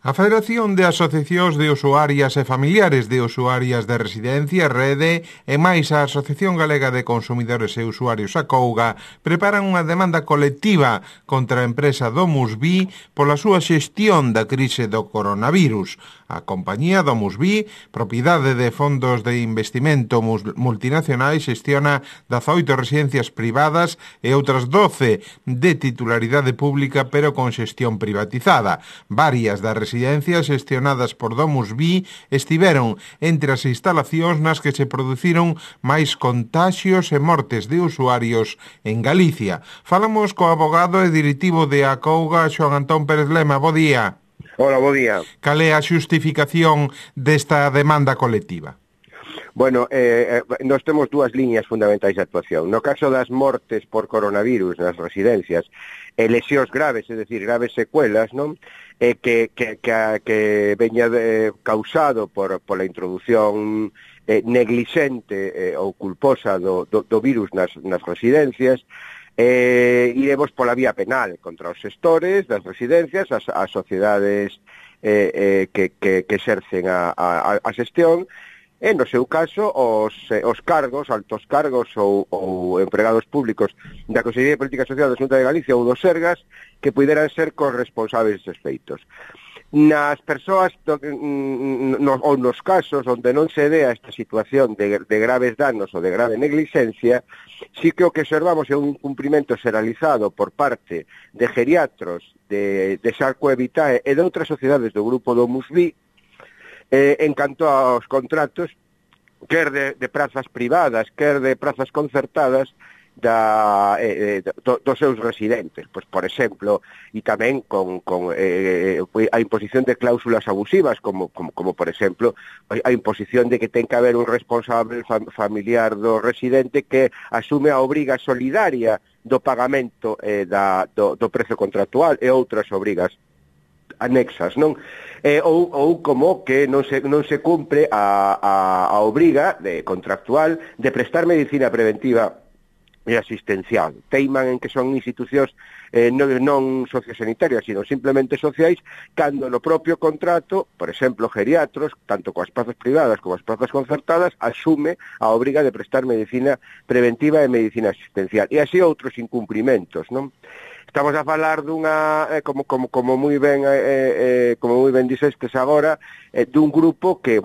A Federación de Asociacións de Usuarias e Familiares de Usuarias de Residencia, Rede, e máis a Asociación Galega de Consumidores e Usuarios, Acouga, preparan unha demanda colectiva contra a empresa DomusVi pola súa xestión da crise do coronavirus. A compañía DomusVi, propiedade de fondos de investimento multinacionais, xestiona 18 residencias privadas e outras 12 de titularidade pública, pero con xestión privatizada. Varias das residencias xestionadas por DomusVi estiveron entre as instalacións nas que se produciron máis contaxios e mortes de usuarios en Galicia. Falamos co abogado e directivo de Acouga, Xoán Antón Pérez Lema. Bo día. Hola, bo día. Cal é a xustificación desta demanda colectiva? Bueno, nós temos dúas liñas fundamentais de actuación. No caso das mortes por coronavirus nas residencias, lesións graves, é dicir, graves secuelas, non? Que veña causado pola introducción neglixente ou culposa do virus nas residencias, iremos pola vía penal contra os xestores das residencias, as sociedades que exercen a xestión, e, no seu caso, os cargos, altos cargos ou empregados públicos da Consellería de Política Social da Xunta de Galicia ou dos Sergas que puderan ser corresponsables destes feitos. Nas persoas ou nos casos onde non se dea esta situación de graves danos ou de grave negligencia, sí que o que observamos é un cumprimento xeralizado por parte de geriatros, de Sarco e Vitae e de outras sociedades do grupo DomusVi, en canto aos contratos, quer de prazas privadas, quer de prazas concertadas dos seus residentes. Pois, por exemplo, e tamén con a imposición de cláusulas abusivas, como por exemplo, a imposición de que ten que haber un responsable familiar do residente que asume a obriga solidaria do pagamento do prezo contractual e outras obrigas anexas, non? Ou como que non se cumpre a obriga contractual de prestar medicina preventiva e asistencial. Teiman en que son institucións non sociosanitarias, sino simplemente sociais, cando no propio contrato, por exemplo, geriatros, tanto coas plazas privadas como as plazas concertadas, asume a obriga de prestar medicina preventiva e medicina asistencial. E así outros incumprimentos, non? Estamos a falar dunha, como moi ben dixestes agora, dun grupo que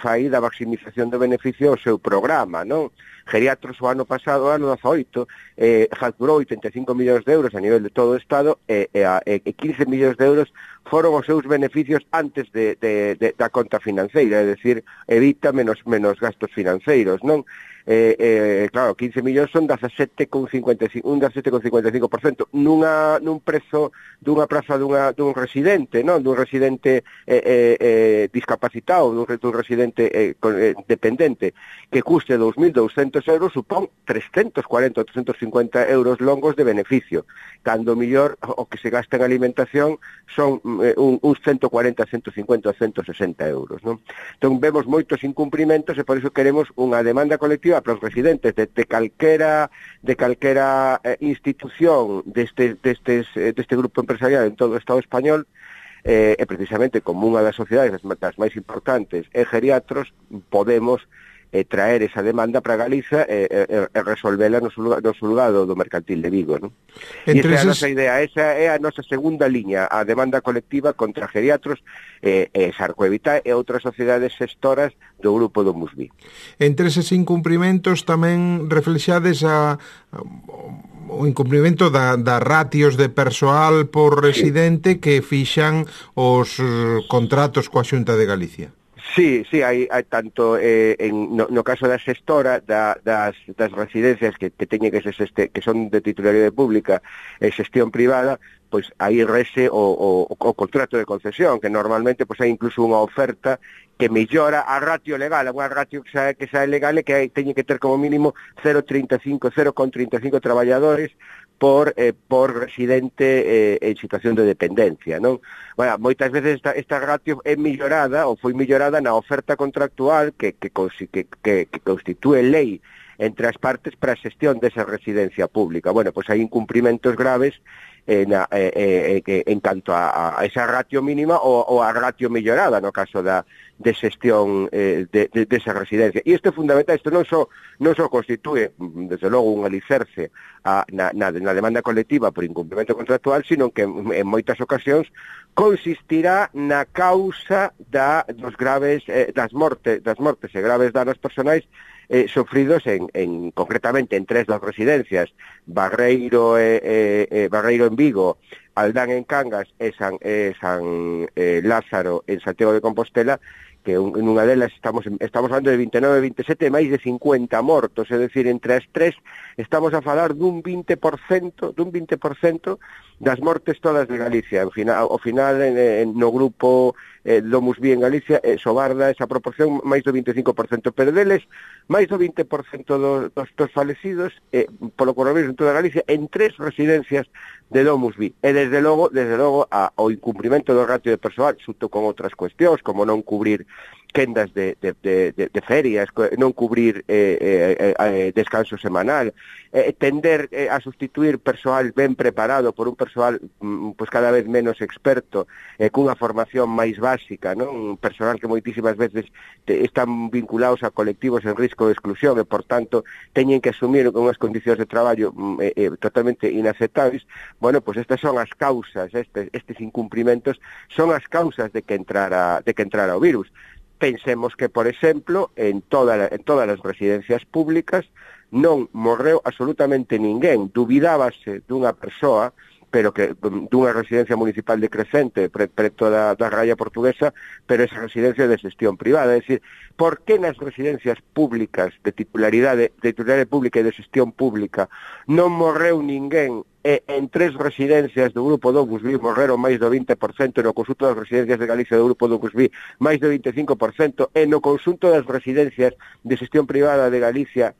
fai da maximización do beneficio ao seu programa, non? Geriatros o ano pasado, o ano 18, facturou 85 millóns de euros a nivel de todo o Estado e 15 millóns de euros foron os seus beneficios antes da conta financeira, é dicir, evita menos gastos financeiros, non? Claro, 15 millóns son 17,55% nun prezo dunha praza dun residente, non? Dun residente discapacitado, dun residente dependente, que custe 2.200 euros, supón 340 ou 350 euros longos de beneficio, cando mellor o que se gasta en alimentación son uns 140, 150 ou 160 euros, non? Entón vemos moitos incumprimentos e por iso queremos unha demanda colectiva para os residentes de calquera institución deste grupo empresarial en todo o Estado español, e precisamente como unha das sociedades das máis importantes é Geriatros, podemos traer esa demanda para Galiza e resolvela no xulgado do Mercantil de Vigo, non? E esa é a nosa idea, esa é a nosa segunda liña, a demanda colectiva contra Geriatros, Sarco e Vitae e outras sociedades xestoras do grupo DomusVi. Entre eses incumprimentos tamén reflexades o incumprimento das ratios de persoal por residente que fixan os contratos coa Xunta de Galicia. Sí, hai tanto no caso da xestora das residencias que teñen que son de titularidade pública e xestión privada, pois aí rese o contrato de concesión, que normalmente pois hai incluso unha oferta que mellora a ratio legal, unha ratio que xa é legal e que teñen que ter como mínimo 0,35 traballadores por residente en situación de dependencia, non? Bueno, moitas veces esta ratio é mellorada ou foi mellorada na oferta contractual que constitúe lei entre as partes para a xestión desa residencia pública. Bueno, pois hai incumprimentos graves en canto a esa ratio mínima ou a ratio mellorada no caso de xestión desa residencia. E isto é fundamental, isto non só constitúe, desde logo, un alicerce na demanda colectiva por incumprimento contractual, sino que en moitas ocasións consistirá na causa das mortes e graves danos personais sofridos concretamente en 3 das residencias, Barreiro en Vigo, Aldán en Cangas e San Lázaro en Santiago de Compostela, que en unha delas estamos falando de 29, 27 e máis de 50 mortos, é dicir, entre as 3 estamos a falar dun 20% das mortes todas de Galicia. Ao final no grupo Domus Vi en Galicia sobarda esa proporción máis do 25%, pero deles máis do 20% dos falecidos polo coronavirus en toda Galicia en 3 residencias de Domus Vi. E desde logo o incumprimento do ratio de persoal, xunto con outras cuestións, como non cubrir quendas de ferias, non cubrir descanso semanal, tender a sustituir persoal ben preparado por un persoal pues cada vez menos experto, cunha formación máis básica, non? Un persoal que moitísimas veces están vinculados a colectivos en risco de exclusión e, por tanto, teñen que asumir unhas condicións de traballo totalmente inaceptables. Bueno, pues estas son as causas, estes incumprimentos son as causas de que entrara o virus. Pensemos que, por exemplo, en todas as residencias públicas non morreu absolutamente ninguén. Dubidábase dunha persoa, pero que dunha residencia municipal de Crecente, preto da raya portuguesa, pero esa residencia de xestión privada. É dicir, por que nas residencias públicas de titularidade pública e de xestión pública non morreu ninguén, e en 3 residencias do grupo Domus Vi morreron máis do 20%, e no conxunto das residencias de Galicia do grupo Domus Vi máis do 25%, e no conxunto das residencias de xestión privada de Galicia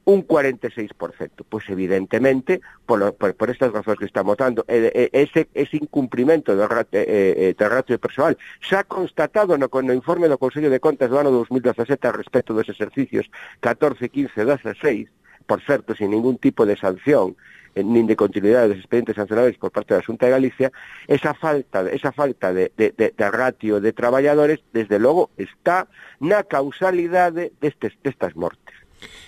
un 46%. Pois evidentemente, por estas razóns que estamos dando, ese incumprimento do ratio de persoal xa constatado no informe do Consello de Contas do ano 2017 a respecto dos exercicios 14, 15, 16, por certo, sin ningún tipo de sanción, nin de continuidade dos expedientes sancionables por parte da Xunta de Galicia, esa falta de ratio de traballadores, desde logo, está na causalidade destas mortes.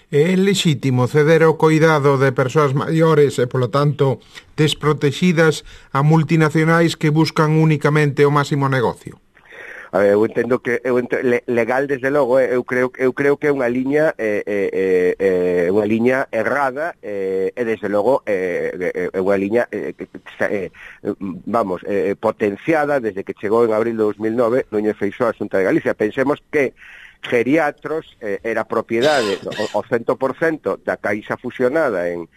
É lexítimo ceder o coidado de persoas maiores e, polo tanto, desprotegidas a multinacionais que buscan únicamente o máximo negocio? Eu entendo que legal, desde logo, eu creo que é unha liña errada, e desde logo é unha liña potenciada desde que chegou en abril de 2009 Núñez Feixóo á Xunta de Galicia. Pensemos que Geriatros era propiedade o 100% da Caixa fusionada en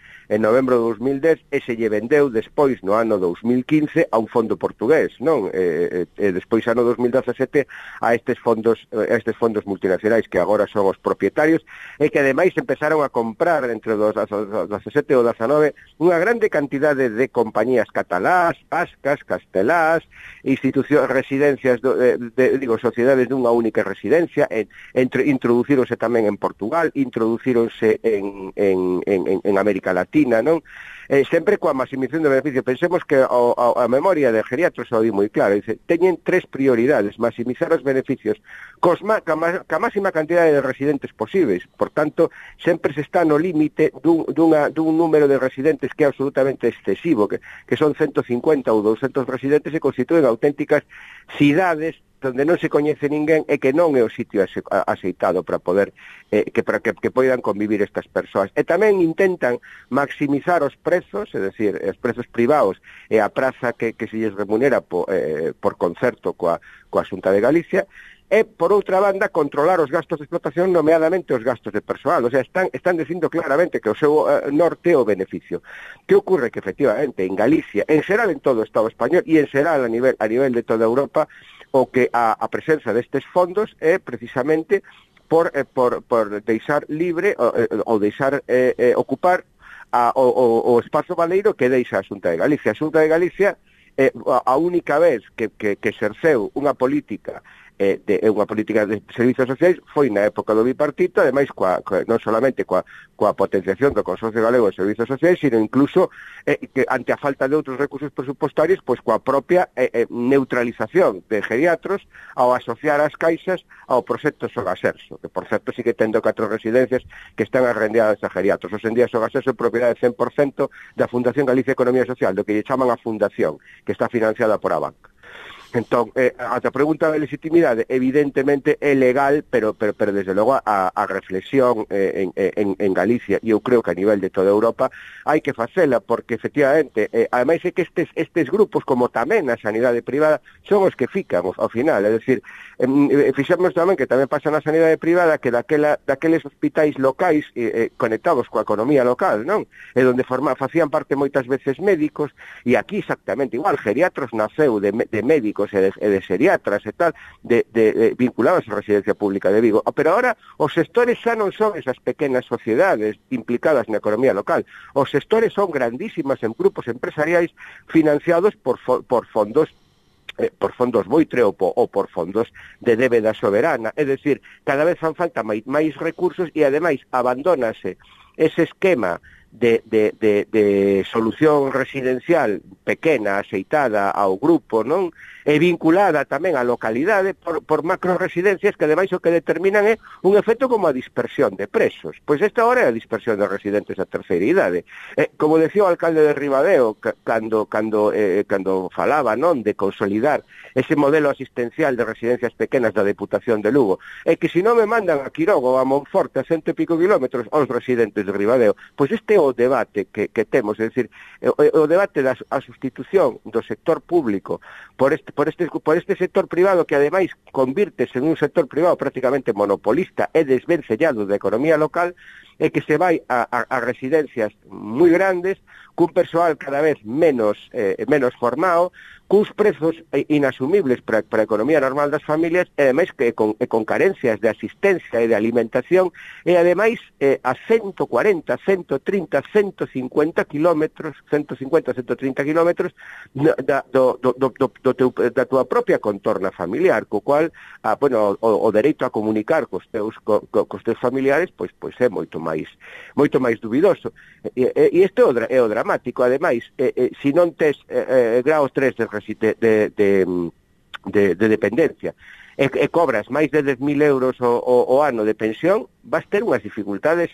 novembro de 2010 e se lle vendeu despois no ano 2015 a un fondo portugués, non? E despois ano 2017 a estes fondos multinacionais que agora son os propietarios e que ademais empezaron a comprar entre os 17 e o 19 unha grande cantidade de compañías catalás, vascas, castelás, institucións, residencias, sociedades dunha única residencia, introducíronse tamén en Portugal, introducíronse en América Latina, non? Sempre coa maximización do beneficio. Pensemos que a memoria de Geriatros o di moi claro, dice, teñen 3 prioridades: maximizar os beneficios ca máxima cantidade de residentes posibles. Por tanto, sempre se está no límite dun número de residentes que é absolutamente excesivo, que son 150 ou 200 residentes e constituen auténticas cidades onde non se coñece ninguén e que non é o sitio aceitado para poder que poidan convivir estas persoas. E tamén intentan maximizar os prezos, é dicir, os prezos privados e a praza que se lles remunera por concerto coa Xunta de Galicia, e, por outra banda, controlar os gastos de explotación, nomeadamente os gastos de persoal. O sea, están dicindo claramente que o seu norte é o beneficio. Que ocorre? Que, efectivamente, en Galicia, en xeral en todo o Estado español e en xeral a nivel de toda Europa, o que a presenza destes fondos é precisamente por deixar libre ou deixar ocupar o espazo baleiro que deixa a Xunta de Galicia. A Xunta de Galicia a única vez que exerceu unha política é unha política de servizos sociais, foi na época do bipartito, ademais non solamente coa potenciación do Consorcio Galego de Servizos Sociais, sino incluso que ante a falta de outros recursos presupuestarios, pois coa propia neutralización de geriatros ao asociar as caixas ao proxecto Sogaserso, que por certo sí que tendo 4 residencias que están arrendadas a geriatros. Os en día Sogaserso é propiedade 100% da Fundación Galicia Economía Social, do que lle chaman a Fundación, que está financiada por a banca. Entón, a pregunta de legitimidade evidentemente é legal, pero desde logo a reflexión en Galicia, e eu creo que a nivel de toda Europa hai que facela, porque efectivamente ademais é que estes grupos, como tamén a sanidade privada, son os que fican ao final, é dicir, fixemos tamén que tamén pasa na sanidade privada que daqueles hospitais locais conectados coa economía local, non? E onde facían parte moitas veces médicos, e aquí exactamente igual, geriatros naceu de médicos e de xeriatras e tal, vinculados á residencia pública de Vigo. Pero agora os sectores xa non son esas pequenas sociedades implicadas na economía local. Os sectores son grandísimas en grupos empresariais financiados por fondos buitre ou por fondos de débeda soberana. É dicir, cada vez fan falta máis recursos e ademais abandónase ese esquema de solución residencial pequena, axeitada ao grupo, non? E vinculada tamén á localidade por macroresidencias que ademais o que determinan é un efecto como a dispersión de presos. Pois esta hora é a dispersión de residentes da terceira idade. Como decía o alcalde de Ribadeo cando falaba, non, de consolidar ese modelo asistencial de residencias pequenas da Deputación de Lugo, é que se non me mandan a Quiroga ou a Monforte a 100 e pico kilómetros aos residentes de Ribadeo, pois este é o debate que temos, é dicir, o debate da sustitución do sector público por este sector privado que ademais convírtese en un sector privado prácticamente monopolista e desvencellado da economía local, e que se vai a residencias moi grandes, cun persoal cada vez menos formado, cuns prezos inasumibles para a economía normal das familias, e ademais que con carencias de asistencia e de alimentación, e ademais a 140, 130, 150 kilómetros, 150, 130 kilómetros da túa propia contorna familiar, co cual o dereito a comunicar cos teus familiares pois é moito máis dubidoso. E isto é o dramático. Ademais, se non tes grau 3 de dependencia e cobras máis de 10.000 euros o ano de pensión, vas ter unhas dificultades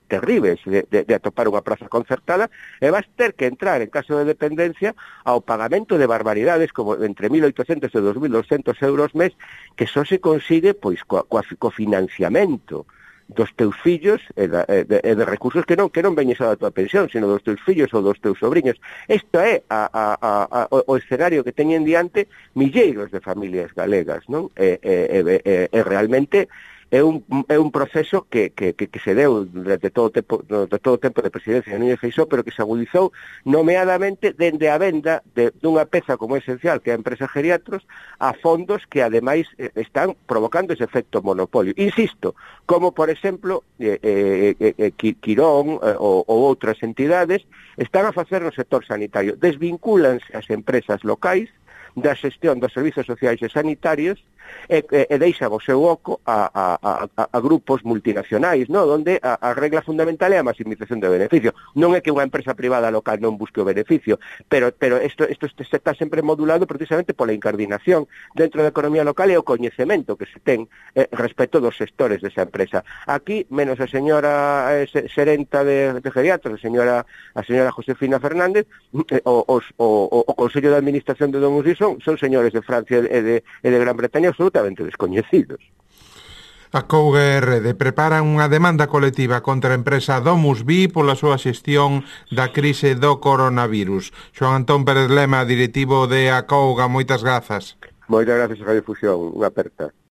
terribles de atopar unha praza concertada, e vas ter que entrar, en caso de dependencia, ao pagamento de barbaridades como entre 1.800 e 2.200 euros mes, que só se consigue pois co financiamento dos teus fillos e de recursos que non veñen só da tua pensión, sino dos teus fillos ou dos teus sobrinhos. Isto é o escenario que teñen diante milleiros de familias galegas, non? E realmente é un proceso que se deu durante todo o tempo de presidencia de Núñez Feixóo, pero que se agudizou nomeadamente dende a venda dunha peza como esencial, que é a empresa Geriatros, a fondos que ademais están provocando ese efecto monopolio. Insisto, como por exemplo Quirón ou outras entidades están a facer no sector sanitario. Desvincúlanse as empresas locais da xestión dos servizos sociais e sanitarios e deixan o seu oco a grupos multinacionais, no? Onde a regla fundamental é a maximización do beneficio. Non é que unha empresa privada local non busque o beneficio, pero isto está sempre modulado precisamente pola incardinación dentro da economía local e o coñecemento que se ten respecto dos sectores desa empresa. Aquí, menos a señora xerenta de Geriatros, a señora Josefina Fernández, o Consello de Administración de Domus son señores de Francia e de Gran Bretaña absolutamente descoñecidos. A Couga RD preparan unha demanda colectiva contra a empresa Domus Vi pola súa xestión da crise do coronavirus. Xoán Antón Pérez Lema, directivo de A Couga, moitas grazas. Moitas grazas a Radio Fusión, unha aperta.